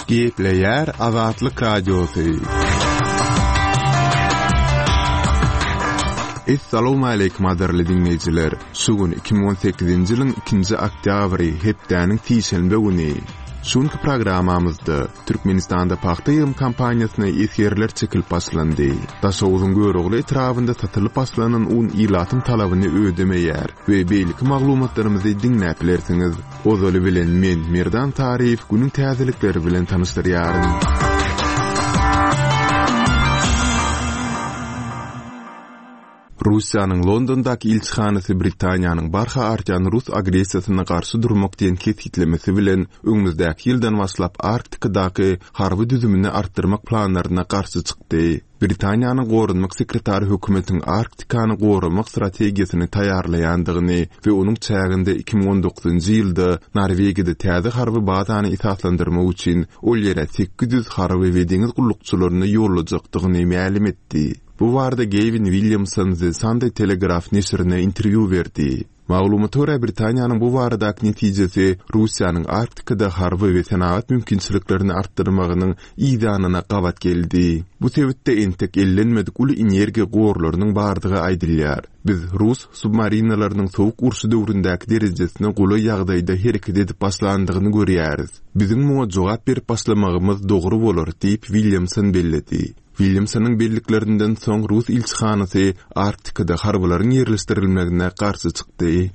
Gepleýär Azatlyk Radiosy. Essalawmaleýkim gadyrly diňleýjiler! Şu gün 2018-nji ýylyň ikinji oktýabry, hepdäniň sişenbe güni. Şu günki programmamyzda Türkmenistanda pagta ýygym kampaniýasyna esgerler çekilip başlandy. Daşoguzyň Görogly etrabynda satylyp başlanan un ilatyň talabyny ödemeýär we beýleki maglumatlarymyzy diňläp bilersiňiz. Ozaly bilen men, Merdan Taryýew günüň täzelikleri bilen tanyşdyrýaryn. Russiýanyň Londondaky ilçihanasy Britaniýanyň barha artýan rus agressiýasyna garşy durmak diýen kesgitlemesi bilen öňümizdäki ýyldan başlap Arktikadaky harby düzümini artdyrmak planlaryna garşy çykdy. Britaniýanyň goranmak sekretary hökümetiň Arktikany goramak strategiýasyny taýýarlaýandygyny we onuň çäginde 2019-njy ýylda Norwegiýada täze harby bazany esaslandyrmak üçin ol ýere 800 harby we deňiz gullukçylaryny ýollajakdygyny mälim etdi. Bu barada Gewin Williamson The Sunday Telegraph neşirine interwýu berdi. Maglumata görä, Britaniýanyň bu baradaky netijesi Russiýanyň Arktikada harby we senagat mümkinçiliklerini artdyrmagynyň yzýanyna gabat geldi. Bu sebitde entek ellenmedik uly energiýa gorlarynyň bardygy aýdylýar. Biz rus submarinalarynyň sowuk urşy döwründäki derejesine golaý ýagdaýda hereket edip başlandygyny görýäris. Biziň muňa jogap berip başlamagymyz dogry bolar, diýip, Williamson belledi. Williamsonyň belliklerinden soň rus ilçihanasy Arktikada harbylaryň ýerleşdirilmegine garşy çykdy.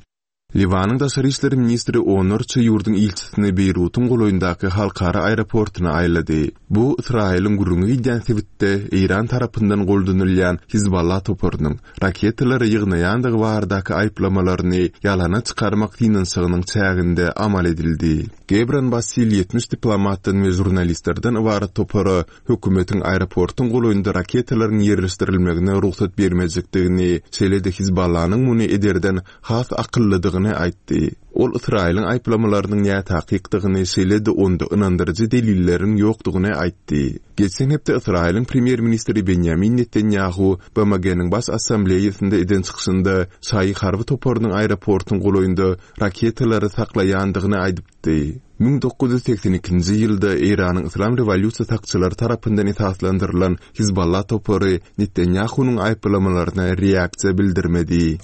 Liwanyň daşary işler ministri onlarça ýurduň ilçisini Beýrutyň golaýyndaky halkara aeroportuna aýlady. Bu Ysraýylyň gürrüňi gidýän sebitde Eýran tarapyndan goldanylýan Hizballah toparynyň raketalary ýygnaýandygy baradaky aýyplamalaryny ýalana çykarmak synanyşygynyň çäginde amal edildi. Gebran Bassil 70 diplomatdan we žurnalistlerden ybarat topara hökümetiň aeroportuň golaýynda raketalaryň ýerleşdirilmegine rugsat bermejekdigini, şeýle-de Hizballanyň muny ederden has akyllydygyny aýtdy. Ol Ysraýylyň aýyplamalarynyň nätakykdygyny, şeýle-de onda ynandyryjy delilleriň ýokdugyny aýtdy. Geçen hepde Ysraýylyň premýer-ministri Benýamin Netanýahu BMG-niň Baş Assambleýasynda eden çykyşynda şaýy harby toparynyň aeroportuň golaýynda raketalary saklaýandygyny aýdypdy. 1982-nji ýylda Eýranyň Yslam rewolýusiýa sakçylary tarapyndan esaslandyrylan Hizballah topary Netanýahunyň aýyplamalaryna reaksiýa bildirmedi.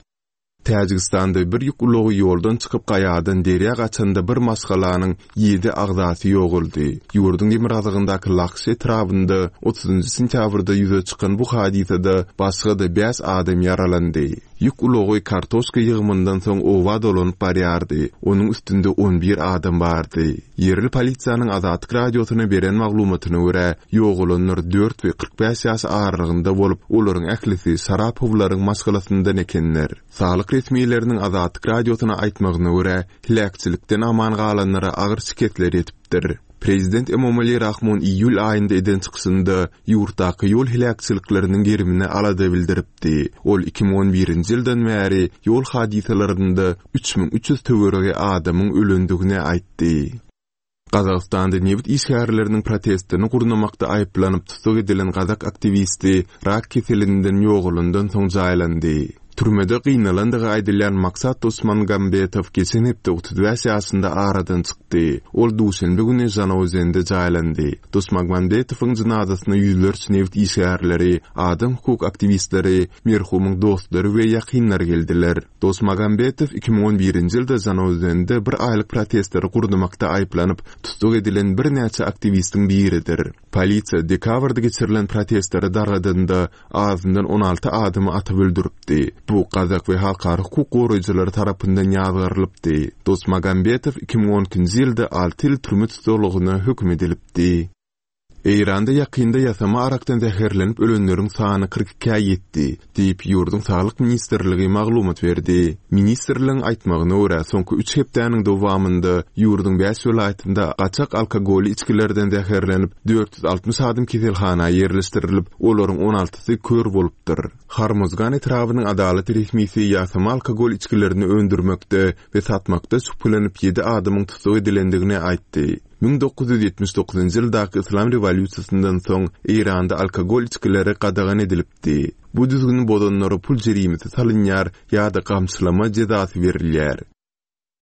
Täjigistanda bir ýük ulagy ýoldan çykyp gaýadan derýa gaçanda bir maşgalanyň ýedi agzasy ýogaldy. Ýurduň demirgazygyndaky Lakş etrabynda otuzynjy sentýabrda ýüze çykan bu hadysada başga-da bäş adam ýaralandy. Ýük ulagy kartoşka ýygymyndan soň oba dolanyp barýardy. Onuň üstünde on bir adam bardy. Ýerli polisiýanyň Azatlyk Radiosyna beren maglumatyna görä, ýogalanlar dört we 45 ýaş aralygynda bolup, olaryň ählisi Şarapowlaryň maşgalasyndan ekenler. Saglyk resmileriniň Azatlyk Radiosyna aýtmagyna görä, heläkçilikden aman galanlara agyr şikesler ýetipdir. Prezident Emomali Rahmon iýul aýynda eden çykyşynda ýurtdaky ýol heläkçilikleriniň gerimine alada bildiripdi. Ol 2011-nji ýyldan bäri ýol hadysalarynda 3300 töweregi adamyň ölendigini aýtdy. Gazagystanda nebit işgärleriniň protestini gurnamakda aýyplanyp tussag edilen gazak aktiwisti rak keselinden ýogalandan soň jaýlandy. Türmede gynalandygy aýdylýan Maksat Dosmangambetow geçen hepde 35 ýaşynda aradan çykdy. Ol duşenbe güni Žanaozende jaýlandy. Dosmagmambetowyň jynazasyna ýüzlerçe nebit işgärleri, adam hukuk aktiwistleri, merhumyň dostlary we ýakynlary geldiler. Dosmagambetow 2011-nji ýylda Žanaozende bir aýlyk protestleri gurnamakda aýyplanyp, tussag edilen birnäçe aktiwistiň biridir. Polisiýa dekabrda geçirilen protestleri dargadanda azyndan 16 adamy atyp öldüripdi. Bu gazak we halkara hukuk goraýjylary tarapyndan ýazgarylypdy. Dosmagambetow 2012-nji ýylda alty ýyl türme tussaglygyna höküm edilipdi. Eýranda ýakynda ýasama arakdan zäherlenip ölenleriň sany 42-ä ýetdi. Diýip, ýurduň Saglyk ministrligi maglumat berdi. Ministrligiň aýtmagyna görä, soňky üç hepdäniň dowamynda ýurduň bäş welaýatynda gaçak alkogolly içgilerden zäherlenip, 460 adam keselhana ýerleşdirilip, olaryň on altysy kör bolupdyr. Hormozgan etrabynyň adalat resmisi ýasama alkogol içgilerini öndürmekde we satmakda şübhelenip ýedi adamyň tussag edilendigini aýtdy. 1979-njy ýyldaky Yslam rewolýusiýasyndan soň Eýranda alkogol içgileri gadagan edilipdi. Bu düzgüni bozanlara pul jerimesi salynýar ýa-da gamçylama jezasy berilýär.